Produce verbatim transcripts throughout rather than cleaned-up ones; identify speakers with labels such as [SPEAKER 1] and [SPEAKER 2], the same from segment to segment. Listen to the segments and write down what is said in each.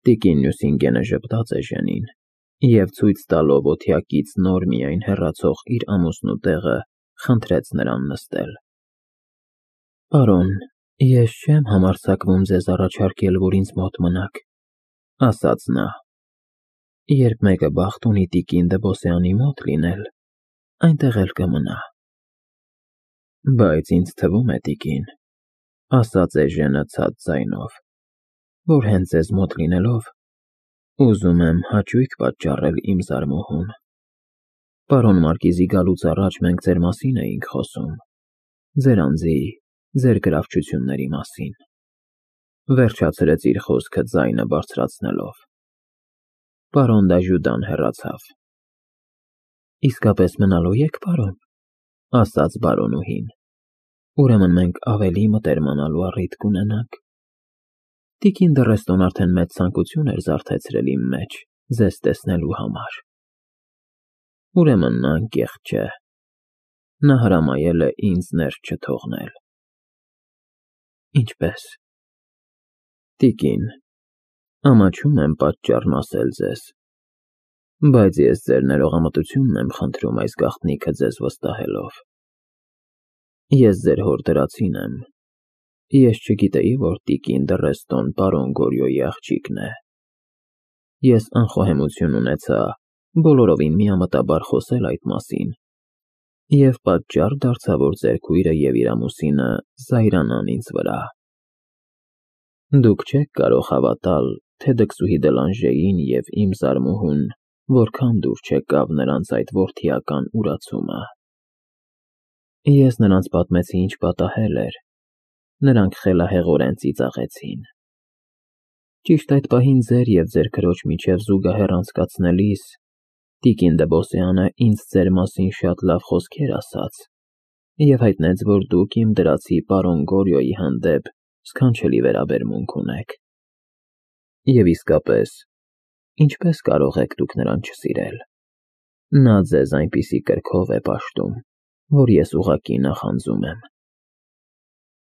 [SPEAKER 1] Տիկին Նյուսինգենը ժպտաց էժենին և ցույց տալով օթյակից նոր միայն հեռացող իր ամուսնու տեղը, խնդրեց նրան նստել։ Պարոն, ես չեմ համարձակվում ձեզ առաջարկել, որ ինձ մոտ մնաք, ասաց նա։ Երբ մեկը բախտ ունի տիկին Դեբոսյանի մոտ լինել, այնտեղ էլ կմնա։ Բայց ինձ թվում է, տիկին, ասաց էժենը ցած ձայնով, որ հենց ձեզ մոտ լինելով, ուզում եմ հաճույք պատճառել իմ զարմուհուն։ Պարոն Մարկիզի գալուց առաջ մենք ձեր մասին էինք խոսում, ձեր անձի, ձեր գրավչությունների մասին, վերջացրեց իր խոսքը ձայնը բարձրացնելով։ Պարոն Դաժուդան հեռացավ։ Իսկապես մնալո եք, պարոն, ասաց բարոնուհին։ Ուրեմն մենք ավելի մտերմանալու առիթ կունենանք։ Տիկին Դռեստոն արդեն մեծ ցանկություն էր զարթեցրել իմ մեջ ձեզ տեսնելու համար։ Ուրեմն նա անկեղծ չէ։ Նա հրամայել է ինձ ներս չթողնել։ Ինչպե՞ս։ Տիկին, ամաչում եմ պատճառն ասել ձեզ, բայց ես ձեր ներողամտությունն եմ խնդրում այս գաղտնիքը ձեզ վստահելով։ Ես ձեր հոր դրացին եմ։ Ես չգիտեի, որ տիկին Դռեստոն պարոն Գորյոյի աղջիկն է։ Ես անխոհեմություն ունեցա բոլորովին միամտաբար խոսել այդ մասին և պատճառ դարձա, որ ձեր քույրը և իր ամուսինը զայրանան ինձ վրա։ Դուք չեք կարող հավատալ, թե դքսուհի Դելանժեին և իմ զարմուհուն որքան դուր չեկավ նրանց այդ որդիական ուրացումը։ Ես նրանց պատմեցի, ինչ պատահել էր, նրանք խելահեղորեն ծիծաղեցին։ Ճիշտ այդ պահին ձեր և ձեր քրոջ միջև զուգահեռ անցկացնելիս, տիկին Դեբոսյանը ինձ ձեր մասին շատ լավ խոսքեր ասաց և հայտնեց, որ դուք իմ դրացի պարոն Գորյոյի հանդեպ սքանչելի վերաբերմունք ունեք։ Եվ իսկապես, ինչպես կարող եք դուք նրան չսիրել։ Նա ձեզ այնպիսի կրքով է պաշտում, որ ես ուղղակի նախանձում եմ։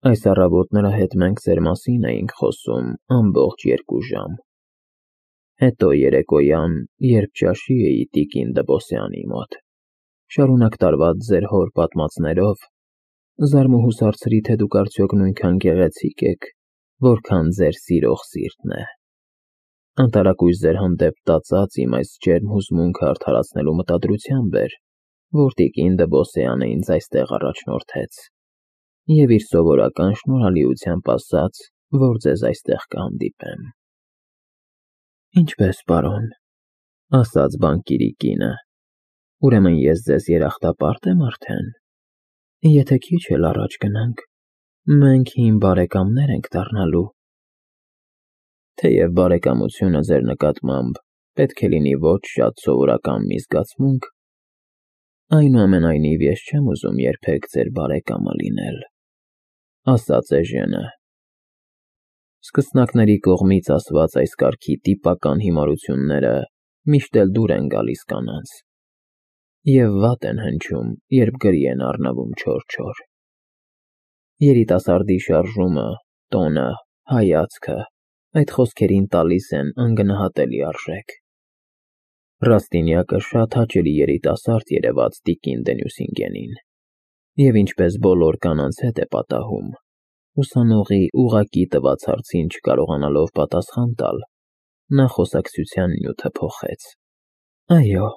[SPEAKER 1] Այս առավոտ նրա հետ մենք ձեր մասին էինք խոսում ամբողջ երկու ժամ։ Հետո երեկոյան, երբ ճաշի էի տիկին Դեբոսյանի մոտ, շարունակ տարված ձեր հոր պատմածներով, զարմուհուս հարցրի, թե դուք արդյոք նույնքան գեղեցիկ եք, որքան ձեր սիրող սիրտն է։ Անտարակույս ձեր հանդեպ տածած իմ այս ջերմ հուզմունքը արդարացնելու մտադրությամբ էր, որ տիկին Դեբոսյանը ինձ այստեղ առաջնորդեց և իր սովորական շնորհալիությամբ ասաց, որ ձեզ այստեղ կհանդիպեմ։ Ինչպե՞ս, պարոն, ասաց բանկիրի կինը, ուրեմն ես ձեզ երախտապարտ եմ արդեն։ Եթե քիչ էլ առաջ գնանք, մենք հին բարեկամներ ենք դառնալու։ Թեև բարեկամությունը ձեր նկատմամբ պետք է լինի ոչ շատ սովորական մի զգացմունք, այնուամենայնիվ ես չեմ ուզում երբեք ձեր բարեկամը լինել, ասաց էժենը։ Սկսնակների կողմից ասված այս կարգի տիպական հիմարությունները միշտ էլ դուր են գալիս կանանց և վատ են հնչում, երբ գրի են առնվում չոր-չոր։ Երիտասարդի շարժումը, տոնը, հայացքը այդ խոսքերին տալիս են անգնահատելի արժեք։ Ռաստինյակը շատ հաճելի երիտասարդ երևաց տիկին դե Նյուսինգենին, և ինչպես բոլոր կանանց հետ է պատահում, ուսանողի ուղղակի տված հարցին չկարողանալով պատասխան տալ, նա խոսակցության նյութը փոխեց։ Այո,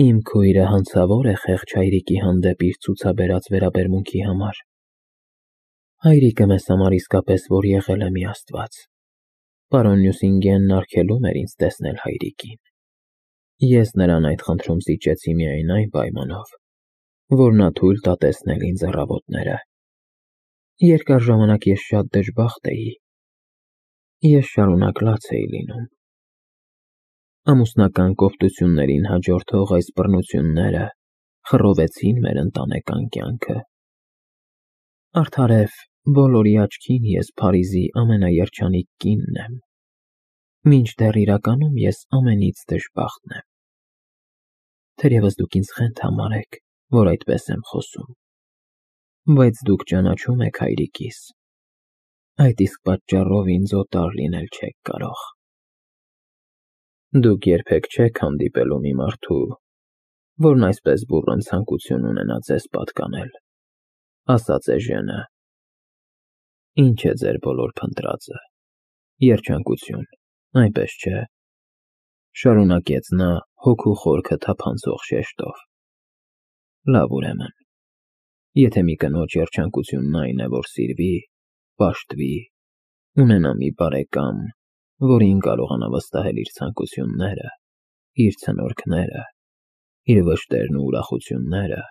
[SPEAKER 1] իմ քույրը հանցավոր է խեղճ հայրիկի հանդեպ իր ցուցաբերած վերաբերմունքի համար։ Հայրիկը մեզ համար իսկապես որ եղել է մի աստված։ Պարոն Նյուսինգենն արգելում էր ինձ տեսնել հայրիկին։ Ես նրան այդ խնդրում զիջեցի միայն այն պայմանով, որ նա թույլ տա տեսնել ինձ առավոտները։ Երկար ժամանակ ես շատ դժբախտ էի։ Ես շարունակ լաց էի լինում։ Ամուսնական կոպտություններին հաջորդող այս բռնությունները խռովեցին մեր ընտանեկան կյանքը։ Արդարև, բոլորի աչքին ես Փարիզի ամենաերջանիկ կինն եմ, մինչդեռ իրականում ես ամենից դժբախտն եմ։ Թերևս դուք ինձ խենթ համարեք, որ այդպես եմ խոսում, բայց դուք ճանաչում եք հայրիկիս, այդ իսկ պատճառով ինձ օտար լինել չեք կարող։ Դուք երբեք չեք հանդիպելու մի մարդու, որն այսպես բուռն ցանկություն ունենա ձեզ պատկանել, ասաց Էժենը։ Ինչ է ձեր բոլոր փնտրածը, երջանկություն, այնպես չէ, շարունակեց նա հոգու խորքը թափանցող շեշտով։ Լավ ուրեմն, եթե մի կնոջ երջանկությունն այն է, որ սիրվի, պաշտվի, ունենա մի բարեկամ, որին կարողանա վստահել իր ցանկությունները, իր ցնորքները, իր վշտերն ու ուրախությունները,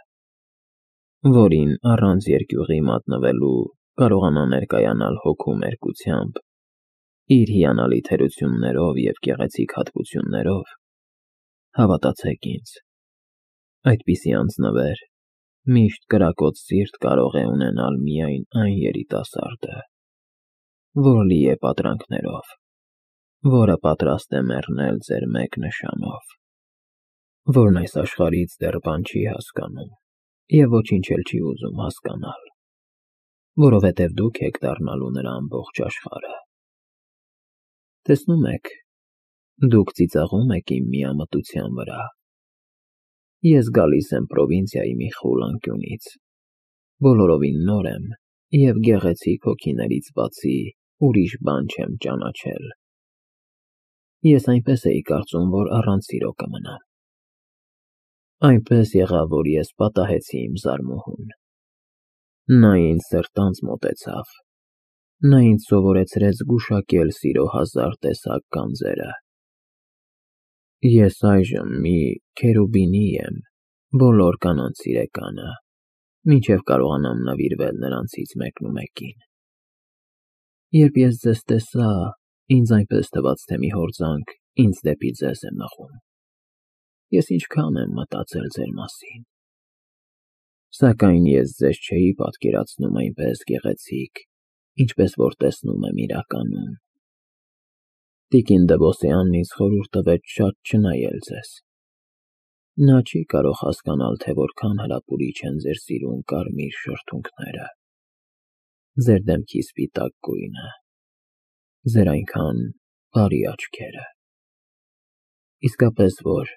[SPEAKER 1] որին առանց երկյուղի մատնվելու կարողանա ներկայանալ հոգու մերկությամբ, իր հիանալի թերություններով և գեղեցիկ հատկություններով, հավատացեք ինձ, այդպիսի անձնվեր միշտ կրակոտ սիրտ կարող է ունենալ միայն այն երիտասարդը, որ լի է պատրանքներով, որը պատրաստ է մեռնել ձեր մեկ նշանով, որն այս աշխարհից դեռ բան չի հասկանում և ոչինչ էլ չի ուզում հասկանալ, որովհետև դուք եք դառնալու նրա ամբողջ աշխարհը։ Տեսնում եք, դուք ծիծաղում եք իմ միամտության վրա։ Ես գալիս եմ պրովինցիայի մի խուլ անկյունից, բոլորովին նոր եմ և գեղեցիկ հոգիներից բացի ուրիշ բան չեմ ճանաչել։ Ես այնպես էի կարծում, որ առանց սիրո կմնամ։ Այնպես եղավ, որ ես պատահեցի իմ զարմուհուն։ Նա ինձ սրտանց մոտեցավ, նա ինձ սովորեցրեց զգուշակել սիրո հազար տեսակ գանձերը։ Ես այժմ մի քերուբինի եմ, բոլոր կանանց սիրեկանը, մինչև կարողանամ նվիրվել նրանցից մեկնումեկին։ Երբ ես ձեզ տեսա, ինձ այնպես թվաց, թե մի հորձանք ինձ դեպի ձեզ է մղում։ Ես ինչքան եմ մտածել ձեր մասին։ Սակայն ես ձեզ չէի պատկերացնում այնպես գեղեցիկ, ինչպես որ տեսնում եմ իրականում։ Տիկին Դևոսյանն ինձ խորհուրդ տվեց շատ չնայել ձեզ։ Նա չի կարող հասկանալ, թե որքան հրապուրիչ են ձեր սիրուն կարմիր շրթունքները, ձեր դեմքի սպիտակ գույնը, ձեր այնքան բարի աչքերը։ Իսկապես որ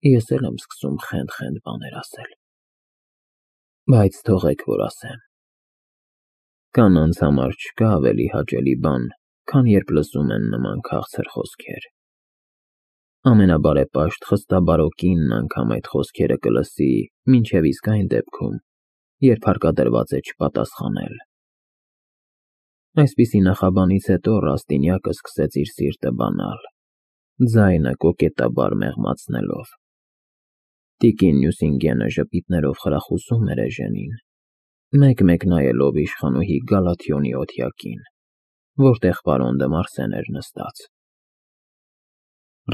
[SPEAKER 1] ես էլ եմ սկսում խենթ-խենթ բաներ ասել։ Բայց թողեք, որ ասեմ։ Կանանց համար չկա ավելի հաճելի բան, քան երբ լսում են նման քաղցր խոսքեր։ Ամենաբարեպաշտ խստաբարո կինն անգամ այդ խոսքերը կլսի մինչև իսկ այն դեպքում, երբ հարկադրված է չպատասխանել։ Այսպիսի նախաբանից հետո Ռաստինյակը սկսեց իր սիրտը բանալ, ձայնը կոկետաբար մեղմացնելով։ Տիկին Նյուսինգենը ժպիտներով խրախուսում էր Էժենին, մեկ-մեկ նայելով իշխանուհի Գալաթիոնի օթյակին, որտեղ պարոն դը Մարսեն էր նստած։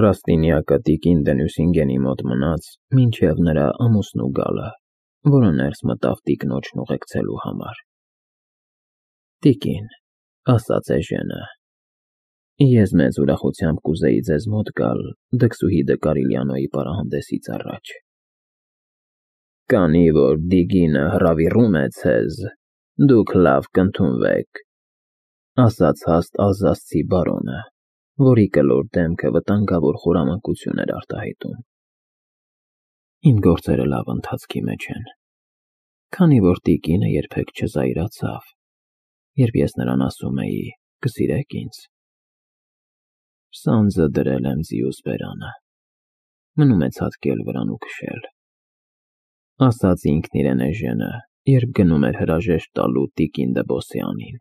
[SPEAKER 1] Ռաստինյակը տիկին դը Նյուսինգենի մոտ մնաց մինչև նրա ամուսնու գալը, որը ներս մտավ տիկնոջն ուղեկցելու համար։ Տիկին, ասաց Էժենը, ես մեծ ուրախությամբ կուզեի ձեզ մոտ գալ դքսուհի դը Կարիլյանոյի պարահանդեսից առաջ։ Քանի որ Դիգինը հրավիրում է ձեզ, դուք լավ կընդունվեք, ասաց հաստ Ալզասցի բարոնը, որի կլոր դեմքը վտանգավոր խորամանկություն էր արտահայտում։ Իմ գործերը լավ ընթացքի մեջ են, քանի որ տիկինը երբեք չզայրացավ, երբ ես նրան ասում էի. «Կսիրեք ինձ»։ Սանձը դրել եմ ձիուս բերանը, մնում է ցատկել վրան ու քշել, ասաց ինքն իրեն Էժենը, երբ գնում էր հրաժեշտ տալու տիկին Դեբոսյանին,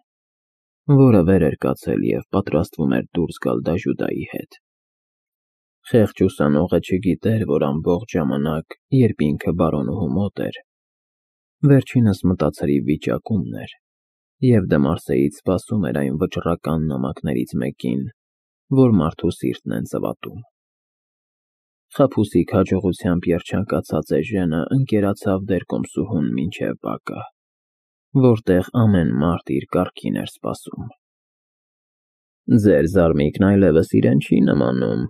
[SPEAKER 1] որը վեր էր կացել և պատրաստվում էր դուրս գալ դաժուդայի հետ։ Խեղճ ուսանողը չգիտեր, որ ամբողջ ժամանակ, երբ ինքը բարոնուհու մոտ էր, վերջինս մտածրիվ վիճակումն էր և դը Մարսեից սպասում էր այն վճռական նամակներից մեկին, որ մարդու սիրտն են ծվատում։ Խաբուսիկ հաջողությամբ երջանկացած Էժենը ընկերացավ դերկոմսուհուն մինչև բակը, որտեղ ամեն մարդ իր կառքին էր սպասում։ Ձեր զարմիկն այլևս իրեն չի նմանում,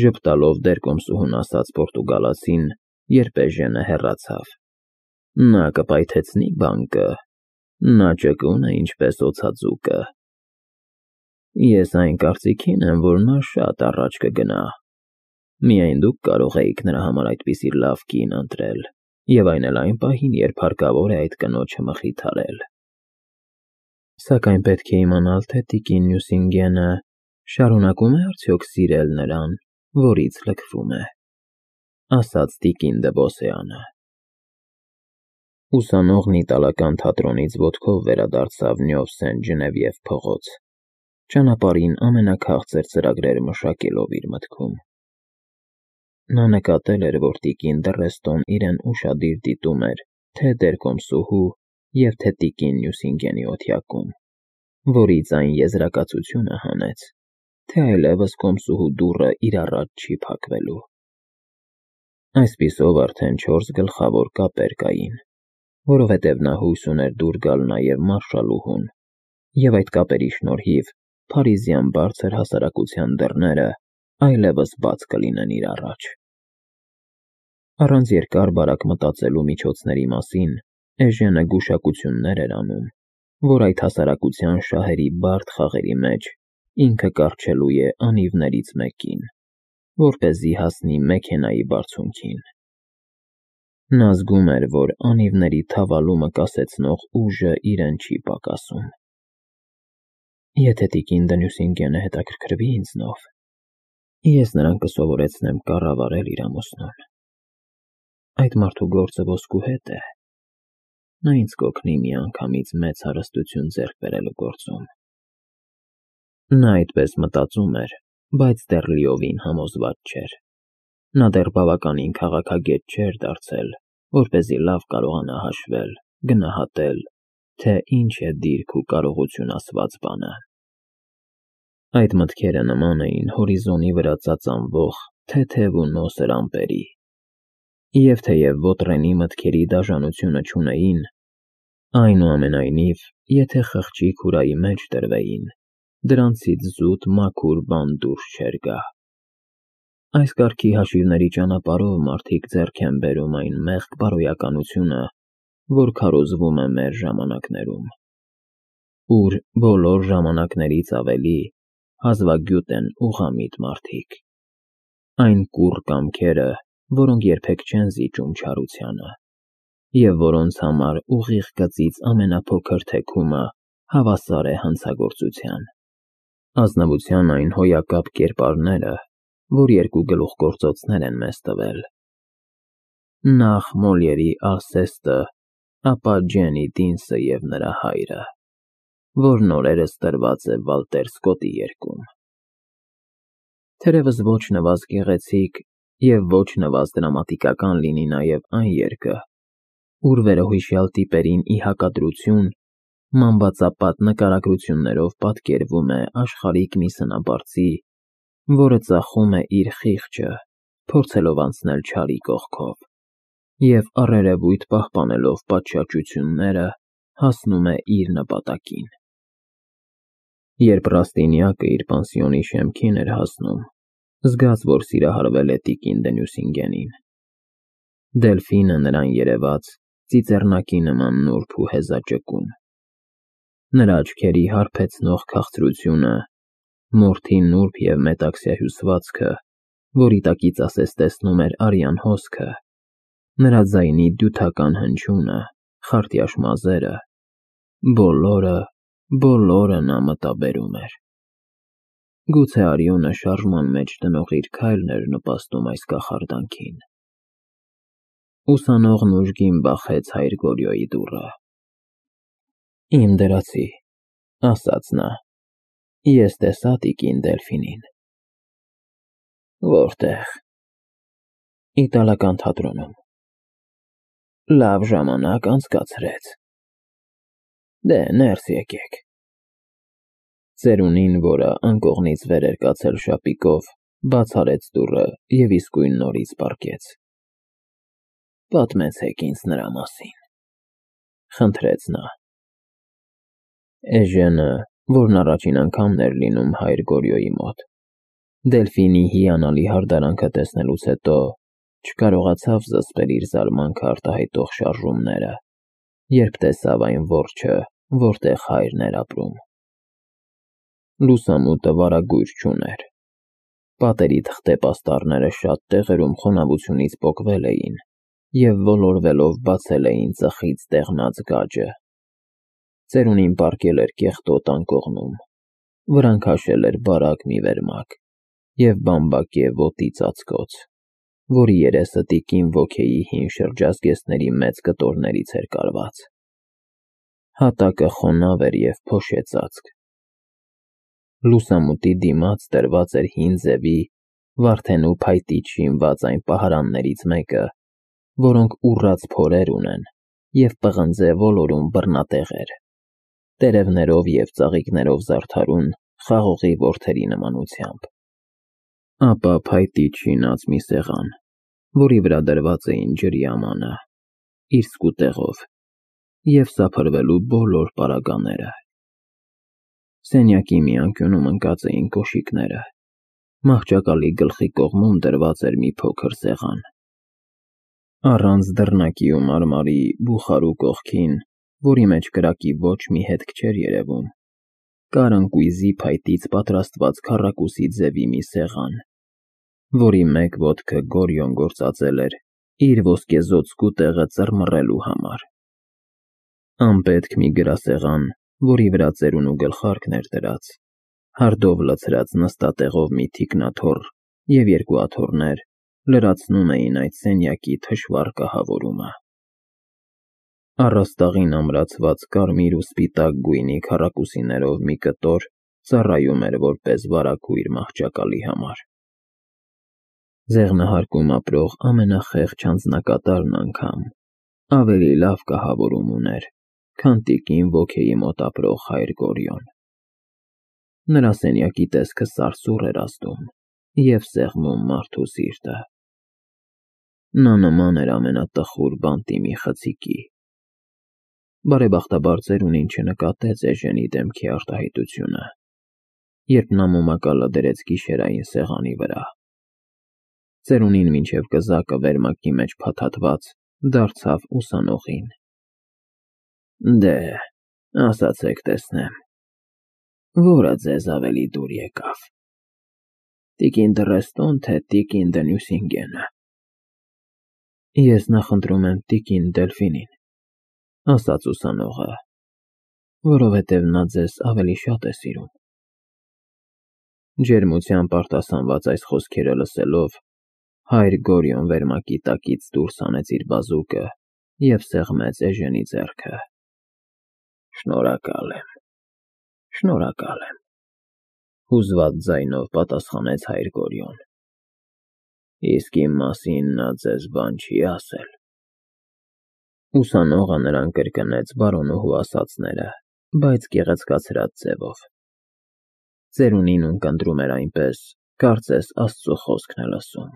[SPEAKER 1] ժպտալով դերկոմսուհուն ասաց պորտուգալացին, երբ Էժենը հեռացավ։ Նա կպայթեցնի բանկը, նա ճկուն է ինչպես օձաձուկը։ Ես այն կարծիքին եմ, որ նա շատ առաջ կգնա Միայն դուք կարող էիք նրա համար այդպիսի լավ կին ընտրել, և այն էլ այն պահին, երբ հարկավոր է այդ կնոջը մխիթարել։ Սակայն պետք է իմանալ, թե տիկին Նյուսինգենը շարունակում է արդյոք սիրել նրան, որից լքվում է, ասաց տիկին Դ'Բոսեանը։ Ուսանողն իտալական թատրոնից ոտքով վերադարձավ Նյով Սեն-Ջնևիև փողոց, ճանապարհին ամենաքաղցր ծրագրերը մշակելով իր մտքում։ Նա նկատել էր, որ տիկին Դ'Ռեստոն իրեն ուշադիր դիտում էր թե դերկոմսուհու և թե տիկին Նյուսինգենի օթյակում, որից այն եզրակացությունը հանեց, թե այլևս կոմսուհու դուռը իր առաջ չի փակվելու։ Այսպիսով արդեն չորս գլխավոր կապեր կային, որովհետև նա հույս ուներ դուր գալ նաև մարշալուհուն, և այդ կապերի շնորհիվ փարիզյան բարձր հասարակության դռները այլևս բաց կլինեն իր առաջ։ Առանց երկար-բարակ մտածելու միջոցների մասին Էժենը գուշակություններ էր անում, որ այդ հասարակության շահերի բարդ խաղերի մեջ ինքը կառչելու է անիվներից մեկին, որպեսզի հասնի մեքենայի բարձունքին։ Նա զգում էր, որ անիվների թավալումը կասեցնող ուժը իրեն չի պակասում։ Եթե տիկին Նյուսինգենը հետաքրքրվի ինձնով, ես նրան կսովորեցնեմ կառավարել իր ամուսնուն։ Այդ մարդու գործը ոսկու հետ է, նա ինձ կօգնի միանգամից մեծ հարստություն ձեռք բերելու գործում։ Նա այդպես մտածում էր, բայց դեռ լիովին համոզված չէր։ Նա դեռ բավականին քաղաքագետ չէր դարձել, որպեսզի լավ կարողանա հաշվել, գնահատել, թե ինչ է դիրք ու կարողություն ասված բանը։ Այդ մտքերը նման էին հորիզոնի վրա ծածանվող թեթև ու նոսր ամպերի, և թեև Ոտրենի մտքերի դաժանությունը չունեին, այնուամենայնիվ, եթե խղճի քուրայի մեջ դրվեին, դրանցից զուտ մաքուր բան դուրս չէր գա։ Այս կարգի հաշիվների ճանապարհով մարդիկ ձեռք են բերում այն մեղք բարոյականությունը, որ քարոզվում է մեր ժամանակներում, ուր բոլոր ժամանակներից ավելի հազվագյուտ են ուղղամիտ մարդիկ, այն կուռ կամքերը, որոնք երբեք չեն զիջում չարությանը, և որոնց համար ուղիղ գծից ամենափոքր թեքումը հավասար է հանցագործության։ Ազնվության այն հոյակապ կերպարները, որ երկու գլուխգործոցներ են մեզ տվել. նախ Մոլիերի Ալսեստը, ապա Ջենի Դինսը և նրա հայրը, որն օրերս տրված է Վալտեր Սկոտի երգում։ Թերևս ոչ նվազ գեղեցիկ և ոչ նվազ դրամատիկական լինի նաև այն երգը, ուր վերոհիշյալ տիպերին ի հակադրություն մանվածապատ նկարագրություններով պատկերվում է աշխարհիկ մի սնաբարձի, որը ծախում է իր խիղճը, փորձելով անցնել չարի կողքով, և առերևույթ պահպանելով պատշաճությունները, հասնում է իր նպատակին։ Երբ Ռաստինյակը իր պանսիոնի շեմքին էր հասնում, զգաց, որ սիրահարվել է տիկին Նյուսինգենին։ Դելֆինը նրան երևաց ծիծեռնակի նման նուրբ ու հեզաճկուն։ Նրա աչքերի հարբեցնող քաղցրությունը, մորթի նուրբ և մետաքսյա հյուսվածքը, որի տակից ասես տեսնում էր արյան հոսքը, նրա ձայնի դյութական հնչյունը, խարտյաշ մազերը, բոլորը, բոլորը նա մտաբերում էր։ Գուցե արյունը շարժման մեջ դնող իր քայլն էր նպաստում այս կախարդանքին։ Ուսանողն ուժգին բախեց հայր Գորյոյի դուռը։ «Իմ դրացի», ասաց նա, «ես տեսա տիկին Դելֆինին»։ Որտե՞ղ։ Իտալական թատրոնում։ Լավ ժամանակ անցկացրեց։ Դե, ներս եկեք։ Ծերունին, որը անկողնից վեր էր կացել շապիկով, բաց արեց դուռը և իսկույն նորից պառկեց։ Պատմեցեք ինձ նրա մասին, խնդրեց նա։ Էժենը, որն առաջին անգամն էր լինում հայր Գորյոյի մոտ, Դելֆինի հիանալի հարդարանքը տեսնելուց հետո չկարողացավ զսպել իր զարմանքը արտահայտող շարժումները, երբ տեսավ այն որջը, որտեղ հայրն էր ապրում։ Լուսամուտը վարագույր չուներ։ Պատերի թղթե պաստառները շատ տեղերում խոնավությունից պոկվել էին և ոլորվելով բացել էին ծխից տեղնած գաջը։ Ծերունին պառկել էր կեղտոտ անկողնում, վրան քաշել էր բարակ մի վերմակ և բամբակե ոտի ծածկոց, որի երեսը տիկին Ոքեյի հին շրջազգեստների մեծ կտորներից էր կարված։ Հատակը խոնավ էր և փոշեցածկ։ Լուսամուտի դիմաց դրված էր հին ձևի, վարդենու փայտից շինված այն պահարաններից մեկը, որոնք ուռած փորեր ունեն և պղնձե ոլորուն բռնատեղեր, տերևներով և ծաղիկներով զարդարուն խաղողի որդերի նմանությամբ։ Ապա փայտից շինած մի սեղան, որի վրա դրված էին ջրի ամանը, իր սկուտեղով, և սափրվելու բոլոր պարագաները։ Սենյակի մի անկյունում ընկած էին կոշիկները, մահճակալի գլխի կողմում դրված էր մի փոքր սեղան։ Առանց դռնակի ու մարմարի բուխարու կողքին, որի մեջ կրակի ոչ մի հետք չէր երևում, կար ընկույզի փայտից պատրաստված քառակուսի ձևի մի սեղան, որի մեկ ոտքը Գորիոն գործածել էր իր ոսկեզօծ սկուտեղը ծռմռելու համար։ Անպետք մի գրասեղան, որի վրա ծերունու գլխարկն էր դրած, հարդով լցրած նստատեղով մի թիկնաթոռ և երկու աթոռներ լրացնում էին այդ սենյակի թշվառ կահավորումը։ Առաստաղին ամրացված կարմիր ու սպիտակ գույնի քառակուսիներով մի կտոր ծառայում էր որպես վարագույր մահճակալի համար։ Ձեղնահարկում ապրող ամենախեղճ անձնակատարն անգամ ավելի լավ կահավորում ուներ, քան տիկին Ոքեյի մոտ ապրող հայր Գորիոն։ Նրա սենյակի տեսքը սարսուռ էր ազդում և սեղմում մարդու սիրտը։ Նա նման էր ամենատխուր բանտի մի խցիկի։ Բարեբախտաբար ծերունին չնկատեց Էժենի դեմքի արտահայտությունը, երբ նա մոմակալը դրեց գիշերային սեղանի վրա։ Ծերունին մինչև կզակը վերմակի մեջ փաթաթված դարձավ ուսանողին։ Դե, ասացեք տեսնեմ, ո՞րը ձեզ ավելի դուր եկավ, տիկին Դռեստոն, թե տիկին դը Նյուսինգենը։ Ես նախընտրում եմ տիկին Դելֆինին, ասաց ուսանողը, որովհետև նա ձեզ ավելի շատ է սիրում։ Ջերմությամբ արտասանված այս խոսքերը լսելով, հայր Գորիոն վերմակի տակից դուրս հանեց իր բազուկը և սեղմեց Էժենի ձեռքը։ Շնորհակալ եմ, շնորհակալ եմ, հուզված ձայնով պատասխանեց հայր Գորիոն։ Իսկ իմ մասին նա ձեզ բան չի ասել։ Ուսանողը նրան կրկնեց բարոնուհու ասածները, բայց գեղեցկացրած ձևով։ Ծերունին, ում կընտրում էր այնպես, կարծես Աստծո խոսքն է լսում։